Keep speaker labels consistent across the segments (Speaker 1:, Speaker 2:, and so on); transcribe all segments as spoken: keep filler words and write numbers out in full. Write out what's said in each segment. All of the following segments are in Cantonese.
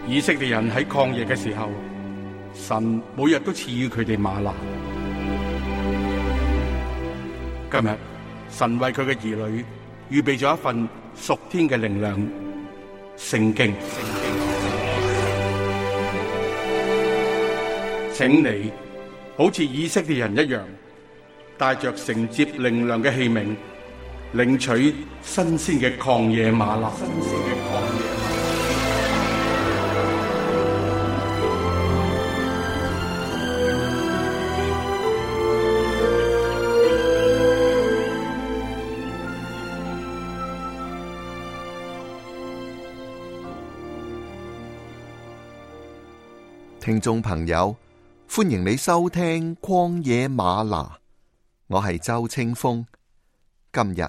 Speaker 1: 以色列人喺曠野嘅時候，神每日都賜予佢哋嗎哪。今日神為佢嘅兒女預備咗一份屬天嘅靈糧——聖經。請你好似以色列人一樣，帶着承接靈糧嘅器皿，領取新鮮嘅曠野嗎哪。
Speaker 2: 聽眾朋友，歡迎你收聽曠野嗎哪，我係周清風。今日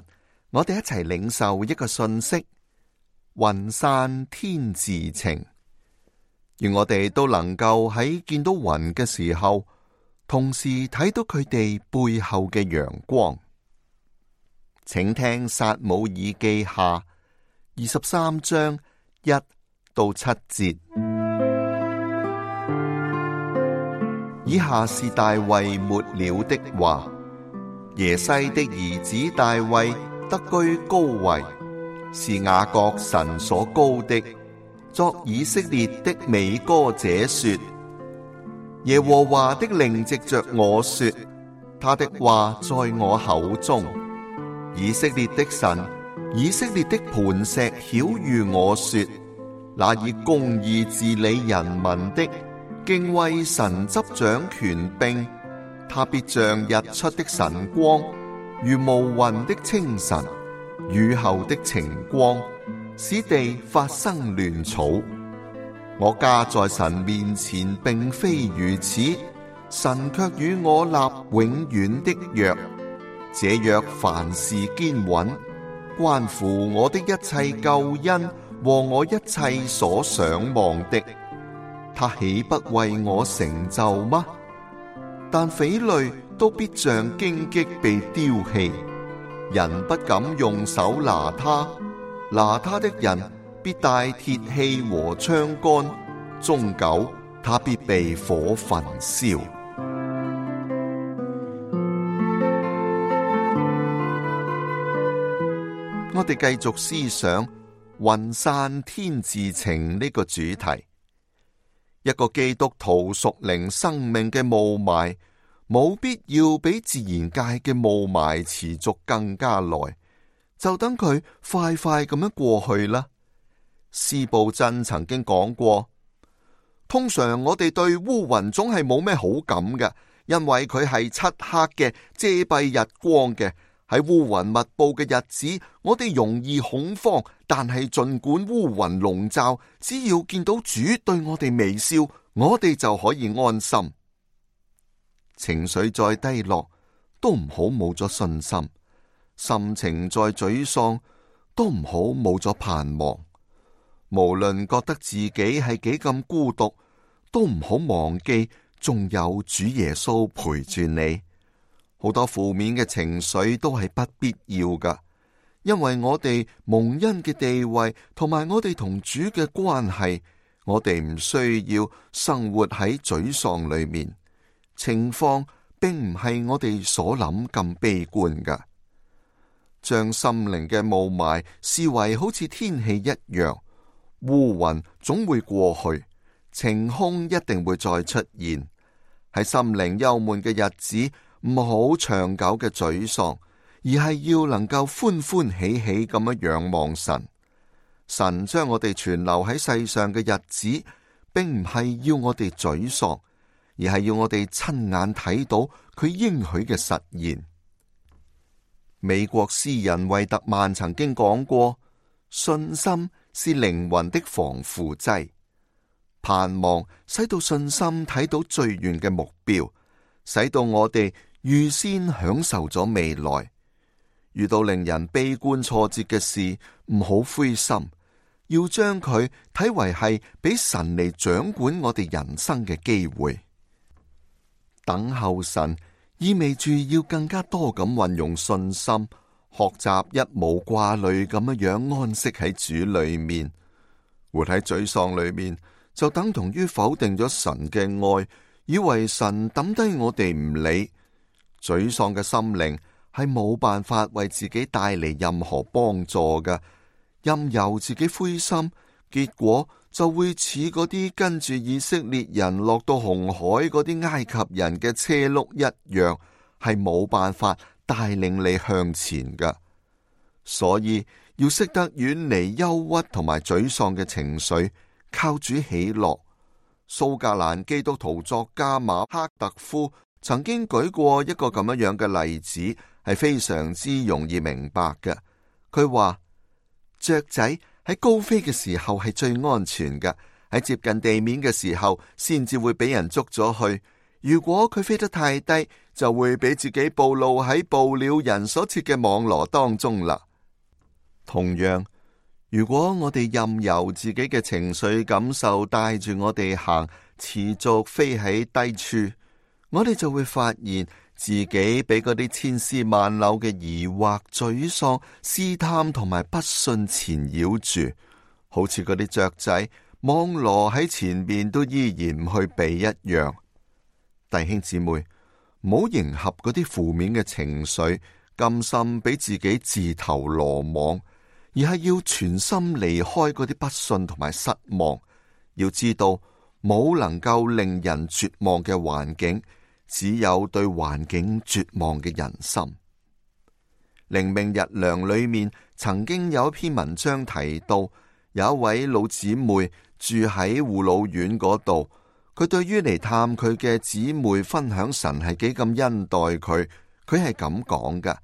Speaker 2: 我哋一齊領受一個信息：雲散天自晴。願我哋都能夠喺見到雲嘅時候，同時睇到佢哋背後嘅陽光。請聽撒母耳記下二十三章一到七節。以下是大衛末了的話：耶西的兒子大衛得居高位，是雅各神所膏的，作以色列的美歌者說：耶和華的靈藉着我說，他的話在我口中。以色列的神，以色列的磐石曉諭我說：那以公義治理人民的，敬畏神執掌權柄，他必像日出的晨光，如無雲的清晨，雨後的晴光，使地發生亂草。我家在神面前並非如此，神卻與我立永遠的約。這約凡事堅穩，關乎我的一切救恩和我一切所想望的。他豈不為我成就嗎？但匪類都必像荊棘被丟棄，人不敢用手拿他，拿他的人必帶鐵器和槍桿，終久他必被火焚燒。我哋繼續思想雲散天自晴呢個主題。一個基督徒屬靈生命嘅霧霾，冇必要比自然界嘅霧霾持續更加耐，就等佢快快咁樣過去啦。司布真曾經講過，通常我哋對烏雲總係冇咩好感嘅，因為佢係漆黑嘅，遮蔽日光嘅。喺烏雲密布嘅日子，我哋容易恐慌，但係盡管烏雲籠罩，只要見到主對我哋微笑，我哋就可以安心。情緒再低落，都唔好冇咗信心；心情再沮喪，都唔好冇咗盼望。無論覺得自己係幾咁孤獨，都唔好忘記仲有主耶穌陪住你。好多負面嘅情緒都係不必要噶，因為我哋蒙恩嘅地位同埋我哋同主嘅關係，我哋唔需要生活喺沮喪裏面。情況並唔係我哋所諗咁悲觀噶。將心靈嘅霧霾視為好似天氣一樣，烏雲總會過去，晴空一定會再出現。喺心靈憂悶嘅日子，唔好長久嘅沮喪，而係要能夠歡歡喜喜咁樣仰望神。神將我哋存留喺世上嘅日子，並唔係要我哋沮喪，而係要我哋親眼睇到佢應許嘅實現。美國詩人惠特曼曾經講過，信心是靈魂的防腐劑，盼望使到信心睇到最遠嘅目標，使到我哋預先享受咗未來。遇到令人悲觀挫折嘅事，唔好灰心，要將佢睇為係俾神嚟掌管我哋人生嘅機會。等候神意味住要更加多咁運用信心，學習一無掛慮咁樣安息喺主裏面。活喺沮喪裏面，就等同於否定咗神嘅愛，以為神抌低我哋唔理。沮喪嘅心靈係冇辦法為自己帶嚟任何幫助嘅，任由自己灰心，結果就會似嗰啲跟住以色列人落到紅海嗰啲埃及人嘅車轆一樣，係冇辦法帶領你向前嘅。所以要識得遠離憂鬱同埋沮喪嘅情緒，靠主喜樂。蘇格蘭基督徒作家馬克特夫曾經舉過一個咁樣樣嘅例子，係非常之容易明白嘅。佢話雀仔喺高飛嘅時候係最安全嘅，喺接近地面嘅時候先至會俾人捉咗去。如果佢飛得太低，就會俾自己暴露喺捕鳥人所設嘅網羅當中啦。同樣，如果我哋任由自己嘅情緒感受帶住我哋行，持續飛喺低處，我哋就會發現自己俾嗰啲千絲萬縷嘅疑惑、沮喪、試探同埋不信纏繞住，好似嗰啲雀仔網羅喺前面都依然唔去避一樣。弟兄姊妹，唔好迎合嗰啲負面嘅情緒，甘心俾自己自投羅網，而係要全心離開嗰啲不信同埋失望。要知道，冇能夠令人絕望嘅環境，只有對環境絕望嘅人心。靈命日糧裏面曾經有一篇文章提到，有一位老姊妹住喺護老院嗰度，佢對於嚟探佢嘅姊妹分享神係幾咁恩待佢，佢係咁講噶：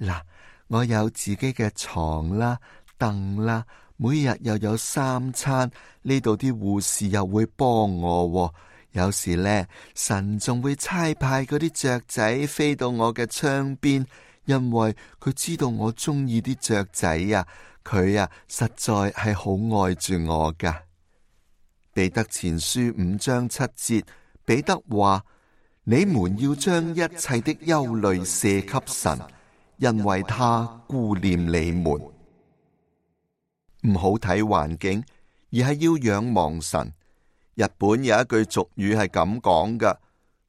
Speaker 2: 嗱，我有自己嘅床啦、凳啦，每日又有三餐，呢度啲護士又會幫我，有時呢，神仲會差派嗰啲雀仔飛到我嘅窗邊，因為佢知道我中意啲雀仔啊，佢啊實在係好愛住我噶。彼得前書五章七節，彼得話：你們要將一切的憂慮卸給神，因為他顧念你們。唔好睇環境，而係要仰望神。日本有一句俗語係咁講噶：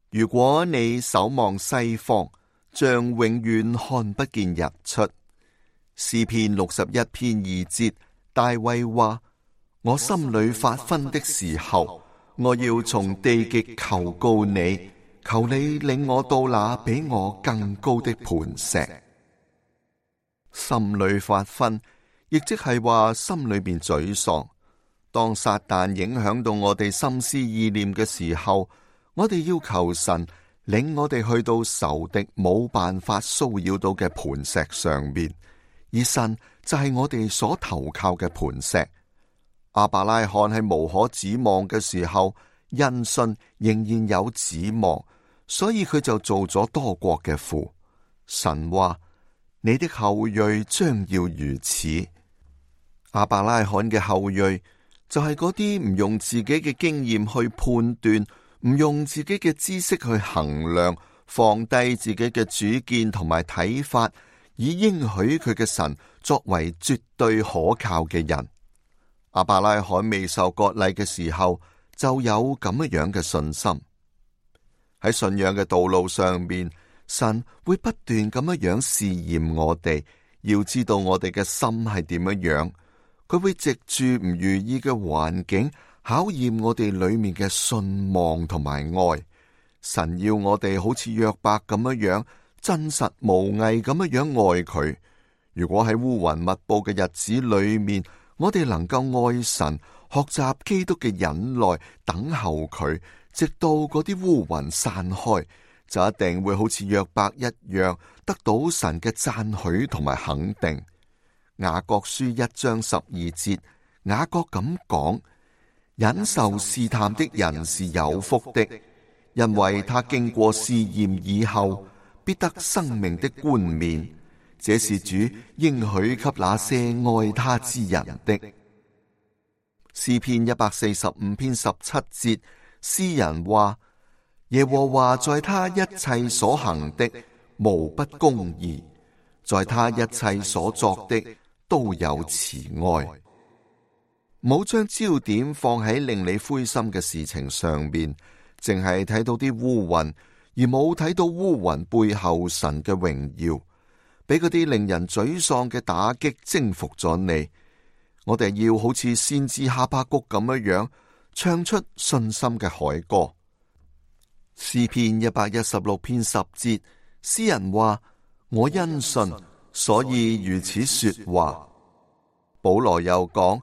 Speaker 2: 如果你守望西方，將永遠看不見日出。詩篇六十一篇二節，大衛話：我心裏發昏的時候，我要從地極求告你，求你領我到那比我更高的磐石。心裏發昏，亦即係話心裏邊沮喪。當撒旦影響到我哋心思意念嘅時候，我哋要求神領我哋去到仇敵冇辦法騷擾到嘅磐石上面，而神就係我哋所投靠嘅磐石。亞伯拉罕喺無可指望嘅時候，因信仍然有指望，所以佢就做咗多國嘅父。神話：你的後裔將要如此。亞伯拉罕嘅後裔就係嗰啲唔用自己嘅經驗去判斷，唔用自己嘅知識去衡量，放低自己嘅主見同埋睇法，以應許佢嘅神作為絕對可靠嘅人。亞伯拉罕未受割禮嘅時候，就有咁樣嘅信心。喺信仰嘅道路上面，神會不斷咁樣樣試驗我哋，要知道我哋嘅心係點樣樣。佢會藉住唔如意嘅環境考驗我哋裏面嘅信望同埋愛。神要我哋好似約伯咁樣樣真實無偽咁樣樣愛佢。如果喺烏雲密布嘅日子裏面，我哋能夠愛神，學習基督嘅忍耐，等候佢，直到嗰啲烏雲散開，就一定會好似約伯一樣，得到神嘅讚許同埋肯定。雅各書一章十二節，雅各咁講：忍受試探的人是有福的，因為他經過試驗以後，必得生命的冠冕。這是主應許給那些愛他之人的。詩篇一百四十五篇十七節，詩人話：耶和華在他一切所行的無不公義，在他一切所作的都有慈愛。唔好將焦點放喺令你灰心嘅事情上面，淨係睇到啲烏雲，而冇睇到烏雲背後神嘅榮耀，俾嗰啲令人沮喪嘅打擊征服咗你。我哋要好似先知哈巴谷咁樣樣，唱出信心嘅凱歌。詩篇一百一十六篇十節，詩人話：我因信，所以如此說話。保羅又講：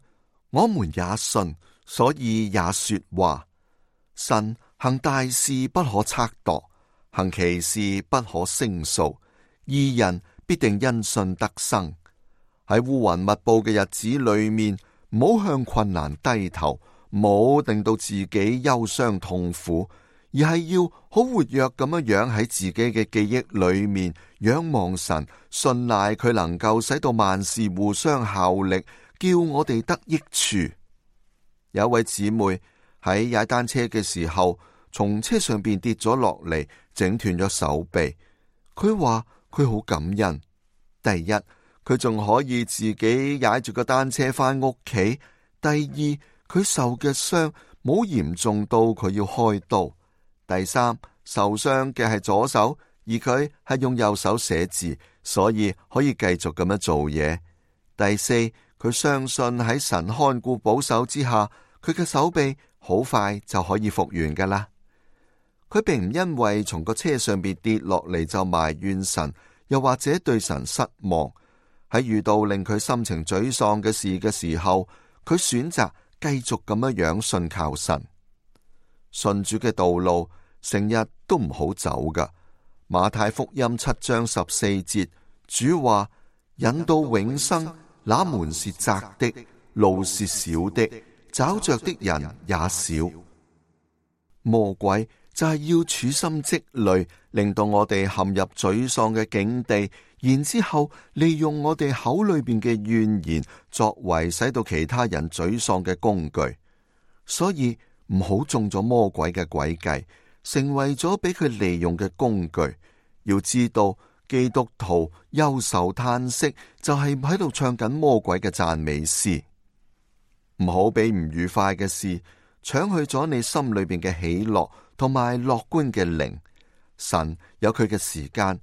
Speaker 2: 我們也信，所以也說話。神行大事不可測度，行奇事不可勝數，義人必定因信得生。喺烏雲密布嘅日子裏面，唔好向困難低頭，唔好令到自己憂傷痛苦，而係要好活躍咁樣樣喺自己嘅記憶裏面仰望神，信賴佢能夠使到萬事互相效力，叫我哋得益處。有一位姊妹喺踩單車嘅時候，從車上邊跌咗落嚟，整斷咗手臂。佢話佢好感恩，第一，佢仲可以自己踩住個單車返屋企；第二，佢受嘅傷冇嚴重到佢要開刀；第三，受傷嘅係左手，而佢係用右手寫字，所以可以繼續咁樣做嘢；第四，佢相信喺神看顧保守之下，佢嘅手臂好快就可以復原噶啦。佢並唔因為從個車上邊跌落嚟就埋怨神，又或者對神失望。喺遇到令佢心情沮喪嘅事嘅時候，佢選擇繼續咁樣樣信靠神。信主嘅道路成日都唔好走噶。馬太福音七章十四節，主話：引到永生，那門是窄的，路是小的，找着的人也少。魔鬼就係要處心積慮，令到我哋陷入沮喪嘅境地，然之後利用我哋口裏邊嘅怨言，作為使到其他人沮喪嘅工具。所以唔好中咗魔鬼嘅詭計，成為咗俾佢利用嘅工具。要知道，基督徒憂愁嘆息，就係喺度唱緊魔鬼嘅讚美詩。唔好俾唔愉快嘅事搶去咗你心裏邊嘅喜樂同埋樂觀嘅靈。神有佢嘅時間，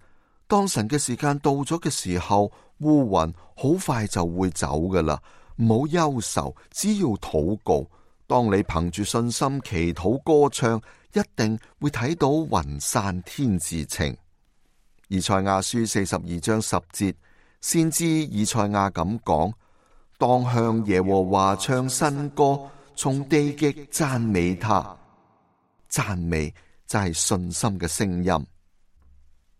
Speaker 2: 當神嘅時間到咗嘅時候，烏雲好快就會走噶啦。唔好憂愁，只要禱告。當你憑住信心祈禱歌唱，一定會睇到雲散天自晴。以賽亞書四十二章十節，先知以賽亞咁講：當向耶和華唱新歌，從地極讚美他。讚美就係信心嘅聲音。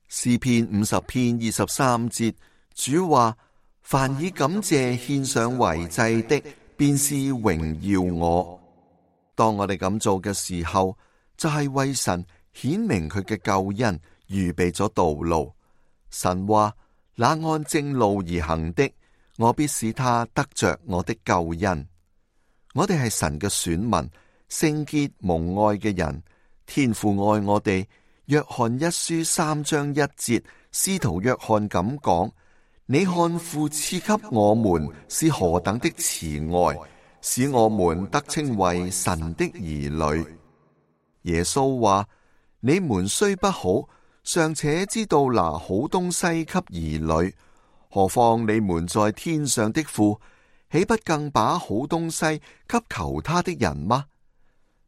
Speaker 2: 詩篇五十篇二十三節，主話：凡以感謝獻上為祭的，便是榮耀我。當我哋咁做嘅時候，就係、是、為神顯明佢嘅救恩，預備咗道路。神話：那按正路而行的，我必使他得着我的救恩。我哋係神嘅選民，聖潔蒙愛嘅人。天父愛我哋。約翰一書三章一節，使徒約翰咁講：你看父賜給我們是何等的慈愛，使我們得稱為神的兒女。耶穌話：你們雖不好，尚且知道拿好東西給兒女，何況你們在天上的父，豈不更把好東西給求他的人嗎？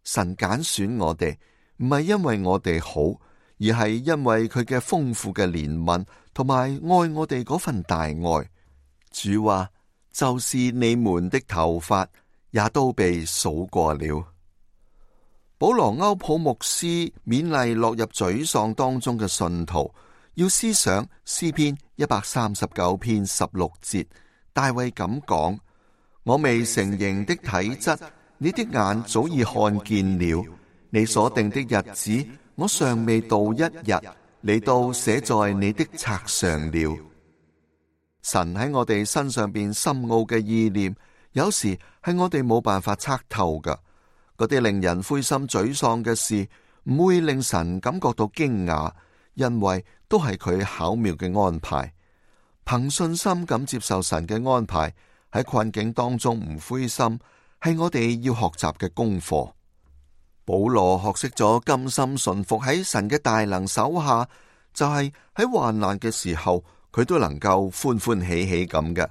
Speaker 2: 神揀選我哋，唔係因為我哋好，而係因為佢嘅豐富嘅憐憫同埋愛我哋嗰份大愛。主話：就是你們的頭髮也都被數過了。保羅歐普牧師勉勵落入沮喪當中嘅信徒，要思想詩篇一百三十九篇十六節，大衛咁講：我未成形的體質，你的眼早已看見了；你所定的日子，我尚未到一日，你都寫在你的冊上了。神喺我哋身上邊深奧嘅意念，有時係我哋冇辦法測透噶。嗰啲令人灰心沮喪嘅事，唔會令神感覺到驚訝，因為都係佢巧妙嘅安排。憑信心咁接受神嘅安排，喺困境當中唔灰心，係我哋要學習嘅功課。保羅學識咗甘心順服喺神嘅大能手下，就係喺患難嘅時候，佢都能夠歡歡喜喜咁嘅。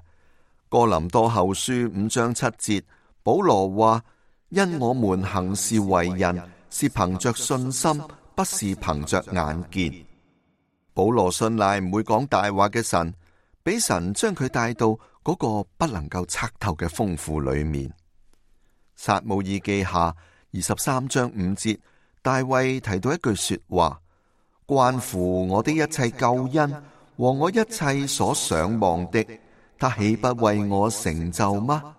Speaker 2: 哥林多後書五章七節，保羅話：因我們行事為人，是憑着信心，不是憑着眼見。保羅信賴唔會講大話嘅神，俾神將佢帶到嗰個不能夠測透嘅豐富裏面。撒母耳記下二十三章五節，大衛提到一句說話：關乎我的一切救恩和我一切所想望的，他豈不為我成就嗎？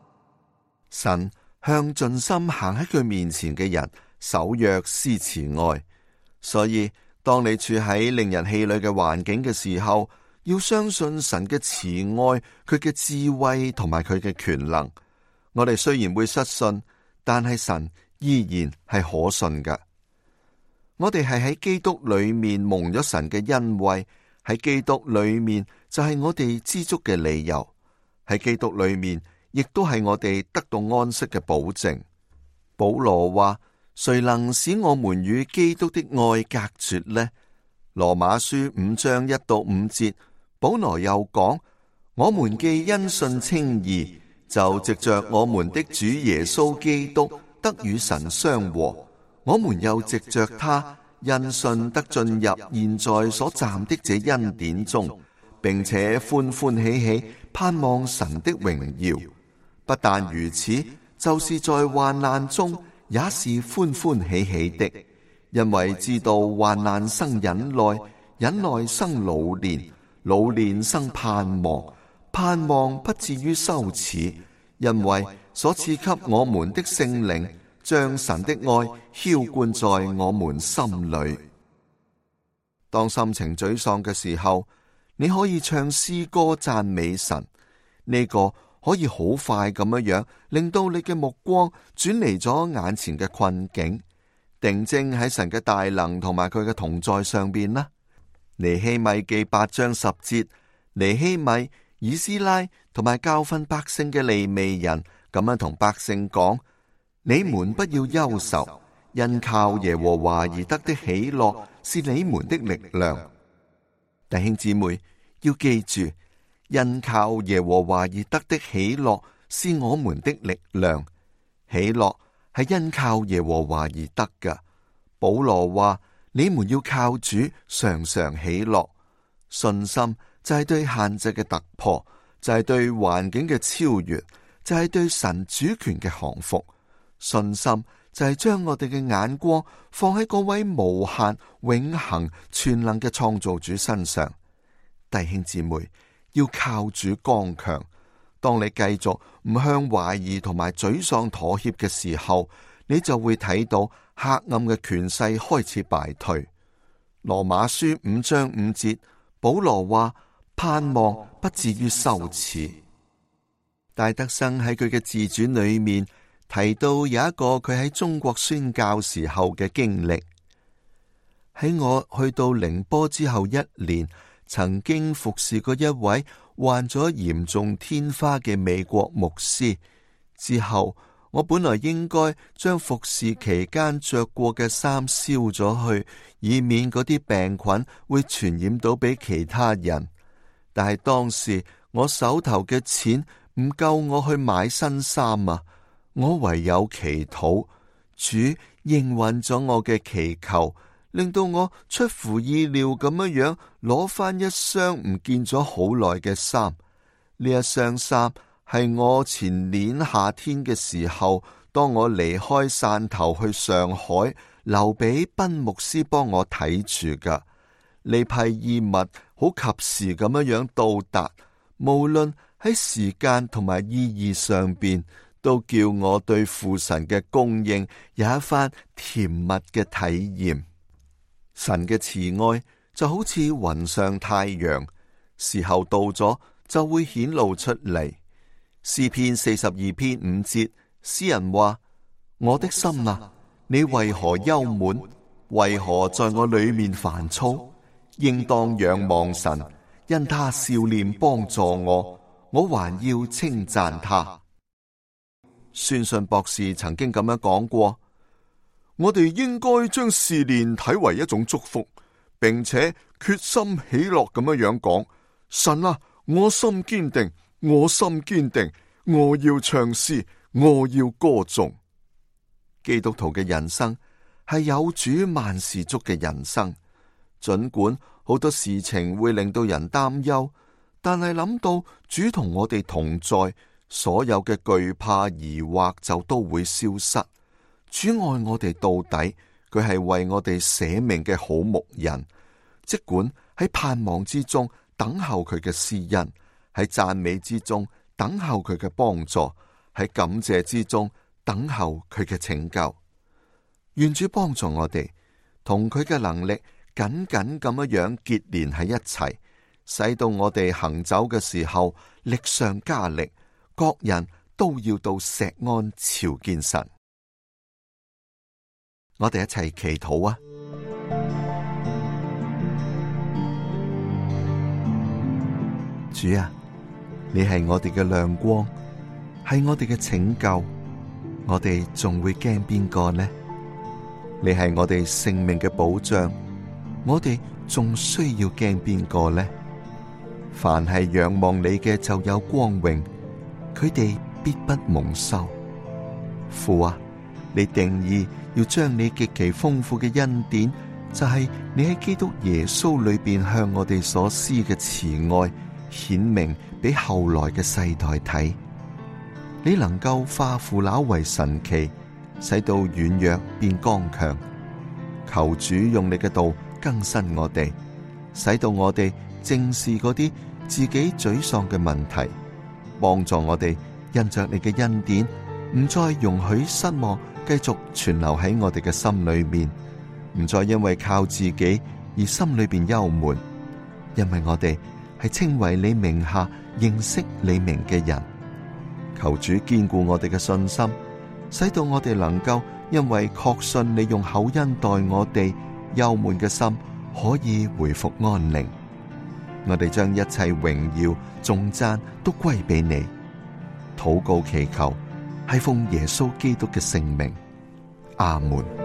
Speaker 2: 神向盡心行喺佢面前嘅人守約施慈愛，所以當你處喺令人氣餒嘅環境嘅時候，要相信神嘅慈愛、佢嘅智慧同埋佢嘅權能。我哋雖然會失信，但係神依然係可信㗎。我哋係喺基督裏面蒙咗神嘅恩惠，喺基督裏面就係我哋知足嘅理由，喺基督裏面亦都係我哋得到安息嘅保證。保羅話：誰能使我們與基督的愛隔絕呢？羅馬書五章一到五節，保羅又講：我們既因信稱義，就藉着我們的主耶穌基督得與神相和。我們又藉着他因信得進入現在所站的這恩典中，並且歡歡喜喜盼望神的榮耀。不但如此，就是在患難中也是歡歡喜喜的，因為知道患難生忍耐，忍耐生老練，老練生盼望，盼望不至於羞恥，因為所賜給我們的聖靈將神的愛澆灌在我們心裏。當心情沮喪嘅時候，你可以唱詩歌讚美神，呢個可以好快咁樣樣令到你嘅目光轉離咗眼前嘅困境，定睛喺神嘅大能同埋佢嘅同在上邊啦。尼希米記八章十節，尼希米、以斯拉同埋教訓百姓嘅利未人咁樣同百姓講：你們不要憂愁，因靠耶和華而得的喜樂是你們的力量。弟兄姊妹要記住，因靠耶和華而得的喜樂是我們的力量。喜樂係因靠耶和華而得嘅。保羅話：你們要靠主常常喜樂。信心就係對限制嘅突破，就係對環境嘅超越，就係對神主權嘅降服。信心就係將我哋嘅眼光放喺嗰位無限、永恆、全能嘅創造主身上。弟兄姊妹，要靠主剛強。當你繼續唔向懷疑同埋沮喪妥協嘅時候，你就會睇到黑暗嘅權勢開始敗退。羅馬書五章五節，保羅話：盼望不至於羞恥。戴德生喺佢嘅自傳裏面提到有一個佢喺中國宣教時候嘅經歷。喺我去到寧波之後一年，曾經服侍過一位患咗嚴重天花嘅美國牧師。之後我本來應該將服侍期間着過嘅衫燒咗去，以免嗰啲病菌會傳染到俾其他人。但係當時我手頭嘅錢唔夠我去買新衫啊！我唯有祈禱，主應允咗我嘅祈求，令到我出乎意料咁樣樣攞翻一箱唔見咗好耐嘅衫。呢一箱衫係我前年夏天嘅時候，當我離開汕頭去上海，留俾賓牧師幫我睇住噶。呢批衣物好及時咁樣樣到達，無論喺時間同埋意義上邊，都叫我對父神嘅供應有一番甜蜜嘅體驗。神嘅慈愛就好似雲上太陽，時候到咗就會顯露出嚟。詩篇四十二篇五節，詩人話：我的心啊，你為何憂悶？為何在我裏面煩躁？應當仰望神，因他笑臉幫助我，我還要稱讚他。宣信博士曾經咁樣講過：我哋應該將試煉睇為一種祝福，並且決心喜樂咁樣樣講：神啊，我心堅定，我心堅定，我要唱詩，我要歌頌。基督徒嘅人生係有主萬事足嘅人生，盡管好多事情會令到人擔憂，但係諗到主同我哋同在，所有嘅懼怕疑惑就都會消失。主愛我哋到底，佢係為我哋捨命嘅好牧人。即管喺盼望之中等候佢嘅施恩，喺讚美之中等候佢嘅幫助，喺感謝之中等候佢嘅拯救。願主幫助我哋，同佢嘅能力緊緊咁樣結連喺一齊，使到我哋行走嘅時候力上加力，各人都要到錫安朝見神。我哋一齊祈禱啊！主啊，你係我哋嘅亮光，係我哋嘅拯救，我哋仲會驚邊個呢？你係我哋性命嘅保障，我哋仲需要驚邊個呢？凡係仰望你嘅就有光榮，佢哋必不蒙羞。父啊，你定義要將你極其豐富嘅恩典，就係你喺基督耶穌裏邊向我哋所施嘅慈愛，顯明俾後來嘅世代睇。你能夠化腐朽為神奇，使到軟弱變剛強。求主用你嘅道更新我哋，使到我哋正視嗰啲自己沮喪嘅問題，幫助我哋因着你嘅恩典，唔再容許失望繼續存留喺我哋嘅心裏面，唔再因為靠自己而心裏邊憂悶，因為我哋係稱為你名下認識你名嘅人。求主堅固我哋嘅信心，使到我哋能夠因為確信你用厚恩待我哋，憂悶嘅心可以回復安寧。我哋將一切榮耀頌讚都歸俾你。禱告祈求係奉耶穌基督嘅聖名，阿門。